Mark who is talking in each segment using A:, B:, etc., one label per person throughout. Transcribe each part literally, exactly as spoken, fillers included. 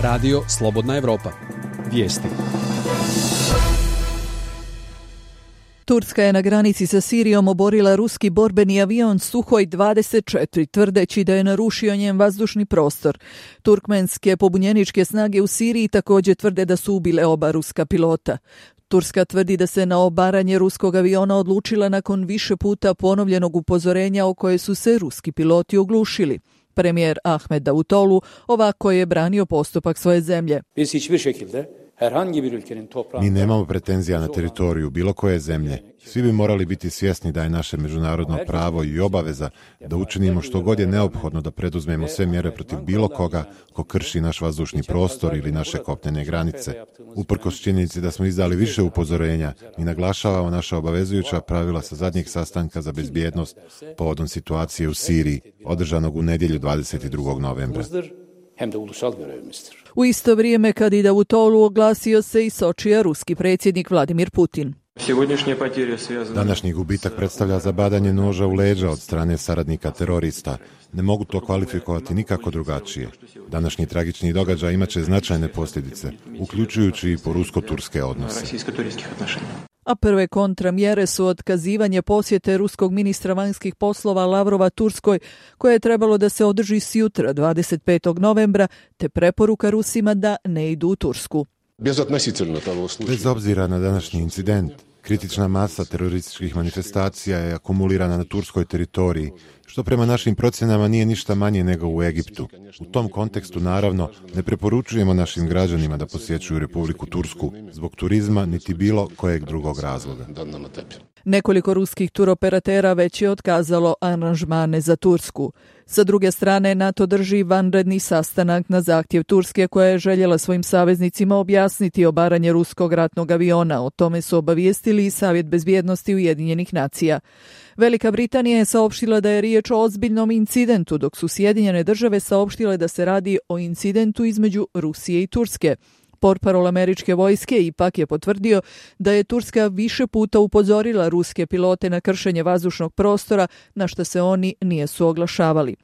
A: Radio Slobodna Evropa. Vijesti.
B: Turska je na granici sa Sirijom oborila ruski borbeni avion Suhoj dvadeset četiri, tvrdeći da je narušio njen vazdušni prostor. Turkmenske pobunjeničke snage u Siriji također tvrde da su ubile oba ruska pilota. Turska tvrdi da se na obaranje ruskog aviona odlučila nakon više puta ponovljenog upozorenja o koje su se ruski piloti oglušili. Premijer Ahmed Davutoglu ovako je branio postupak svoje zemlje.
C: Mi nemamo pretenzija na teritoriju bilo koje zemlje. Svi bi morali biti svjesni da je naše međunarodno pravo i obaveza da učinimo što god je neophodno da preduzmemo sve mjere protiv bilo koga ko krši naš vazdušni prostor ili naše kopnene granice. Uprkos činjenici da smo izdali više upozorenja, mi naglašavamo naša obavezujuća pravila sa zadnjeg sastanka za bezbjednost povodom situacije u Siriji, održanog u nedjelju dvadeset drugog novembra.
B: U isto vrijeme kad i Davutoglu oglasio se i Sočija ruski predsjednik Vladimir Putin.
C: Današnji gubitak predstavlja zabadanje noža u leđa od strane saradnika terorista. Ne mogu to kvalifikovati nikako drugačije. Današnji tragični događaj imaće značajne posljedice, uključujući i po rusko-turske odnose.
B: A prve kontramjere su otkazivanje posjete ruskog ministra vanjskih poslova Lavrova Turskoj, koje je trebalo da se održi sjutra dvadeset petog novembra, te preporuka Rusima da ne idu u Tursku.
C: Bez obzira na današnji incident, kritična masa terorističkih manifestacija je akumulirana na turskoj teritoriji, što prema našim procjenama nije ništa manje nego u Egiptu. U tom kontekstu, naravno, ne preporučujemo našim građanima da posjećuju Republiku Tursku zbog turizma niti bilo kojeg drugog razloga.
B: Nekoliko ruskih turoperatera već je otkazalo aranžmane za Tursku. Sa druge strane, NATO drži vanredni sastanak na zahtjev Turske koja je željela svojim saveznicima objasniti obaranje ruskog ratnog aviona. O tome su obavijestili i Savjet bezbjednosti Ujedinjenih nacija. Velika Britanija je saopštila da je riječ o ozbiljnom incidentu, dok su Sjedinjene države saopštile da se radi o incidentu između Rusije i Turske. Portparol američke vojske ipak je potvrdio da je Turska više puta upozorila ruske pilote na kršenje vazdušnog prostora, na što se oni nisu oglašavali.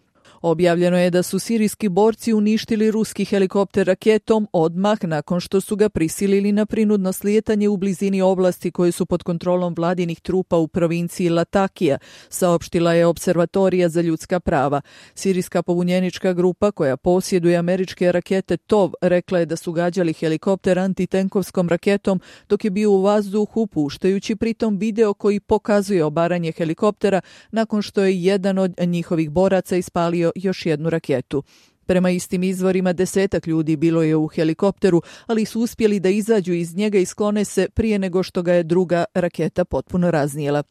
B: Objavljeno je da su sirijski borci uništili ruski helikopter raketom odmah nakon što su ga prisilili na prinudno slijetanje u blizini oblasti koje su pod kontrolom vladinih trupa u provinciji Latakija, saopštila je Observatorija za ljudska prava. Sirijska pobunjenička grupa koja posjeduje američke rakete Tov rekla je da su gađali helikopter antitenkovskom raketom dok je bio u vazduhu, puštajući pritom video koji pokazuje obaranje helikoptera nakon što je jedan od njihovih boraca ispalio još jednu raketu. Prema istim izvorima, desetak ljudi bilo je u helikopteru, ali su uspjeli da izađu iz njega i sklone se prije nego što ga je druga raketa potpuno raznijela.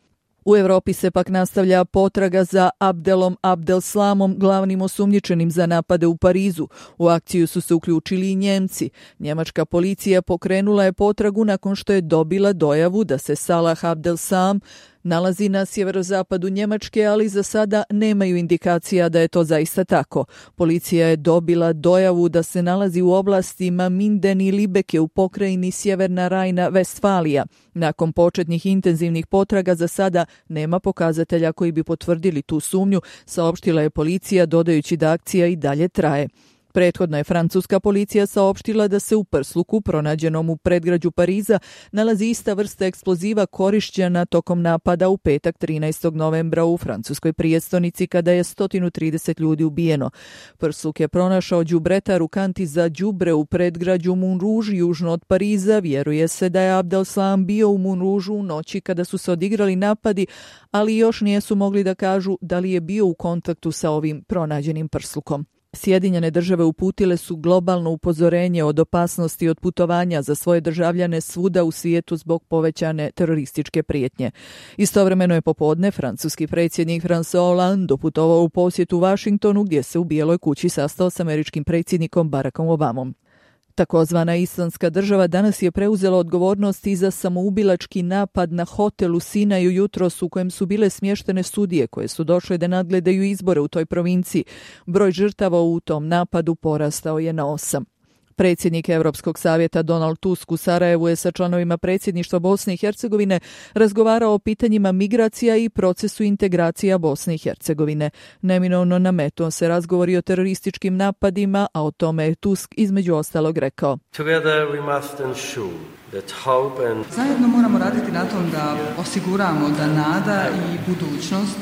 B: U Europi se pak nastavlja potraga za Abdelom Abdelslamom, glavnim osumnjičenim za napade u Parizu. U akciju su se uključili i Njemci. Njemačka policija pokrenula je potragu nakon što je dobila dojavu da se Salah Abdelslam nalazi na sjeverozapadu Njemačke, ali za sada nemaju indikacija da je to zaista tako. Policija je dobila dojavu da se nalazi u oblastima Minden i Libeke u pokrajini Sjeverna Rajna-Vestfalija. Nakon početnih intenzivnih potraga za sada nema pokazatelja koji bi potvrdili tu sumnju, saopštila je policija dodajući da akcija i dalje traje. Prethodno je francuska policija saopštila da se u prsluku pronađenom u predgrađu Pariza nalazi ista vrsta eksploziva korišćena tokom napada u petak trinaestog novembra u francuskoj prijestolnici kada je sto trideset ljudi ubijeno. Prsluk je pronašao đubretar u kanti za đubre u predgrađu Montrouge južno od Pariza. Vjeruje se da je Abdelslam bio u Montrouge u noći kada su se odigrali napadi, ali još nisu mogli da kažu da li je bio u kontaktu sa ovim pronađenim prslukom. Sjedinjene države uputile su globalno upozorenje od opasnosti od putovanja za svoje državljane svuda u svijetu zbog povećane terorističke prijetnje. Istovremeno je popodne francuski predsjednik François Hollande doputovao u posjetu Washingtonu gdje se u Bijeloj kući sastao s američkim predsjednikom Barackom Obamom. Takozvana Islamska država danas je preuzela odgovornost i za samoubilački napad na hotel u Sinaju jutros u kojem su bile smještene sudije koje su došle da nadgledaju izbore u toj provinciji. Broj žrtava u tom napadu porastao je na osam. Predsjednik Europskog savjeta Donald Tusk u Sarajevu je sa članovima predsjedništva Bosne i Hercegovine razgovarao o pitanjima migracija i procesu integracija Bosne i Hercegovine. Neminovno nametuo se razgovori o terorističkim napadima, a o tome je Tusk između ostalog rekao.
D: Zajedno moramo raditi na tom da osiguramo da nada i budućnost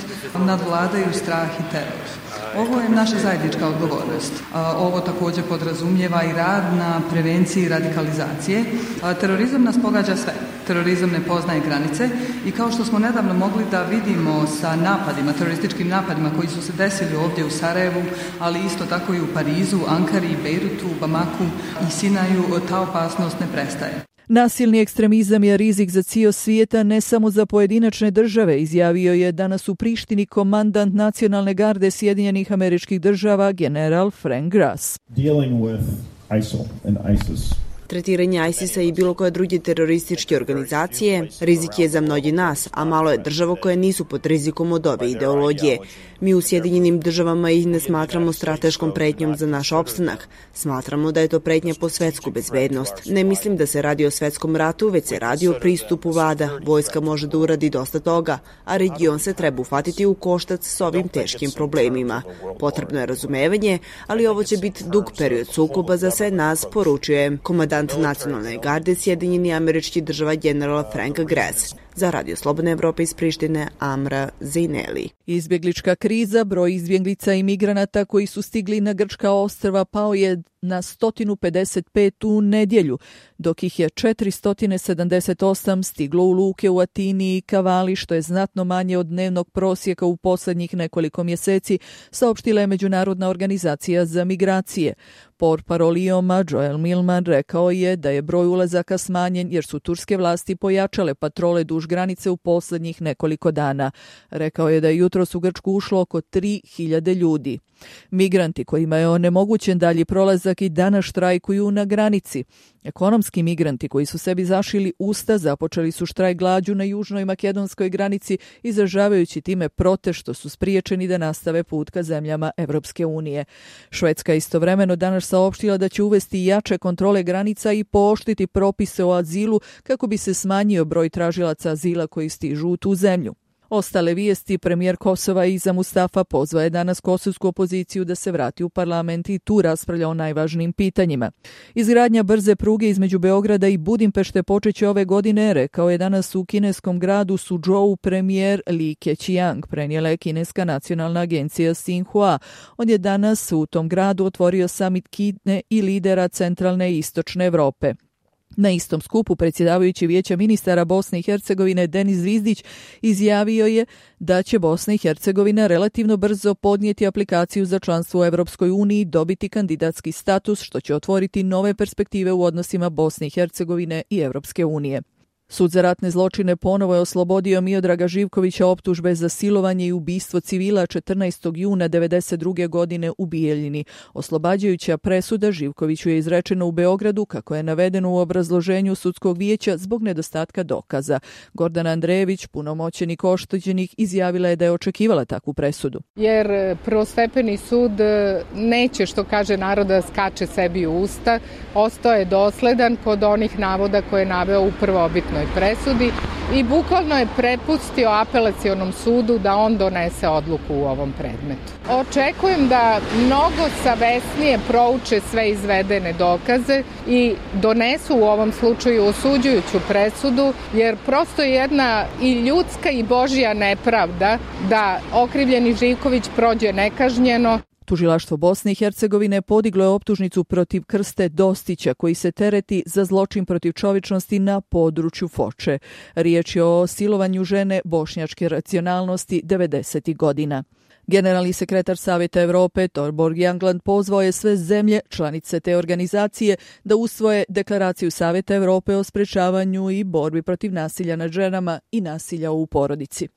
D: nadvladaju strah i teror. Ovo je naša zajednička odgovornost. Ovo također podrazumijeva i rad na prevenciji radikalizacije. Terorizam nas pogađa sve. Terorizam ne poznaje granice i kao što smo nedavno mogli da vidimo sa napadima, terorističkim napadima koji su se desili ovdje u Sarajevu, ali isto tako i u Parizu, Ankari, Bejrutu, Bamaku i Sinaju, ta opasnost ne prestaje.
B: Nasilni ekstremizam je rizik za cijeli svijeta, ne samo za pojedinačne države, izjavio je danas u Prištini komandant nacionalne garde Sjedinjenih Američkih Država, general Frank Grass.
E: Dealing with I S I L and ISIS.
F: Tretiranje ISIS-a i bilo koje druge terorističke organizacije rizik je za mnogi nas, a malo je država koje nisu pod rizikom od ove ideologije. Mi u Sjedinjenim državama ih ne smatramo strateškom pretnjom za naš opstanak. Smatramo da je to pretnja po svetsku bezbednost. Ne mislim da se radi o svetskom ratu, već se radi o pristupu vlada. Vojska može da uradi dosta toga, a region se treba uhvatiti u koštac s ovim teškim problemima. Potrebno je razumevanje, ali ovo će biti dug period sukoba za sve nas, poručuje komandant nacionalne garde Sjedinjenih Američkih Država general Frank Grass. Za Radio Slobodna Evropa iz Prištine, Amra Zejneli.
B: Izbjeglička kriza, broj izbjeglica i migranata koji su stigli na grčka ostrva pao je na sto pedeset pet u nedjelju, dok ih je četiristo sedamdeset osam stiglo u luke u Atini i Kavali, što je znatno manje od dnevnog prosjeka u posljednjih nekoliko mjeseci, saopštila je Međunarodna organizacija za migracije. Portparol I O M-a Joel Millman rekao je da je broj ulazaka smanjen jer su turske vlasti pojačale patrole duž granice u posljednjih nekoliko dana. Rekao je da je jutros u Grčku ušlo oko tri hiljade ljudi. Migranti kojima je onemogućen dalji prolazak i danas štrajkuju na granici. Ekonomski migranti koji su sebi zašili usta započeli su štrajk glađu na južnoj makedonskoj granici, izražavajući time protest što su spriječeni da nastave put ka zemljama Evropske unije. Švedska istovremeno danas saopštila da će uvesti jače kontrole granica i pooštriti propise o azilu kako bi se smanjio broj tražilaca azila koji stižu u tu zemlju. Ostale vijesti, premijer Kosova Iza Mustafa pozvao je danas kosovsku opoziciju da se vrati u parlament i tu raspravlja o najvažnijim pitanjima. Izgradnja brze pruge između Beograda i Budimpešte počeće ove godine, rekao je danas u kineskom gradu Suzhou premijer Li Keqiang, prenijela je kineska nacionalna agencija Xinhua. On je danas u tom gradu otvorio samit Kine i lidera centralne i istočne Evrope. Na istom skupu predsjedavajući Vijeća ministara Bosne i Hercegovine Denis Zvizdić izjavio je da će Bosna i Hercegovina relativno brzo podnijeti aplikaciju za članstvo u Europskoj uniji i dobiti kandidatski status, što će otvoriti nove perspektive u odnosima Bosne i Hercegovine i Europske unije. Sud za ratne zločine ponovo je oslobodio Miodraga Živkovića optužbe za silovanje i ubistvo civila četrnaestog juna devedeset druge godine u Bijeljini. Oslobađajuća presuda Živkoviću je izrečena u Beogradu, kako je navedeno u obrazloženju sudskog vijeća, zbog nedostatka dokaza. Gordana Andrejević, punomoćenik oštećenih, izjavila je da je očekivala takvu presudu.
G: Jer prvostepeni sud neće, što kaže naroda, skače sebi u usta. Ostao je dosledan kod onih navoda koje je naveo u prvobitnoj presudi i bukvalno je prepustio apelacionom sudu da on donese odluku u ovom predmetu. Očekujem da mnogo savesnije prouče sve izvedene dokaze i donesu u ovom slučaju osuđujuću presudu, jer prosto je jedna i ljudska i božja nepravda da okrivljeni Živković prođe nekažnjeno.
B: Tužilaštvo Bosne i Hercegovine podiglo je optužnicu protiv Krste Dostića, koji se tereti za zločin protiv čovječnosti na području Foče. Riječ je o silovanju žene bošnjačke nacionalnosti devedesetih godina. Generalni sekretar Savjeta Europe Torborg Jagland pozvao je sve zemlje, članice te organizacije, da usvoje deklaraciju Savjeta Europe o sprečavanju i borbi protiv nasilja nad ženama i nasilja u porodici.